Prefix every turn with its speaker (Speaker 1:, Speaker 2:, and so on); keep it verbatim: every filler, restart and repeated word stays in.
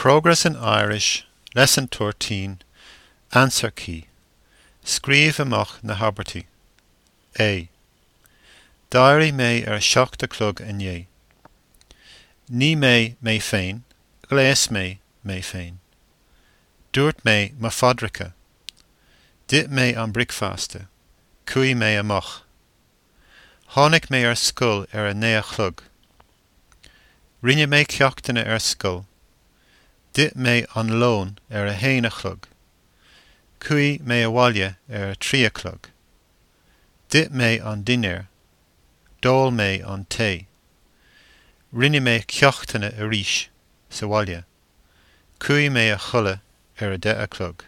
Speaker 1: Progress in Irish, Lesson thirteen, Answer Key. Scríobh amach na habairtí. A. D'éirigh mé ar a seacht a chlog inné. Nigh mé mé féin, ghléas mé mé féin. Dúirt mé mo phaidreacha. D'ith mé an bricfeasta. Chuaigh mé amach. Tháinig mé ar scoil ar a naoi a chlog. Rinne mé ceachtanna ar scoil. D'ith mé an lón ar a haon a chlog. Chuaigh mé abhaile ar a trí a chlog. D'ith mé an dinnéar. D'ól mé an tae. Rinne mé ceachtanna arís sa bhaile. Chuaigh mé a chodladh ar a deich a chlog.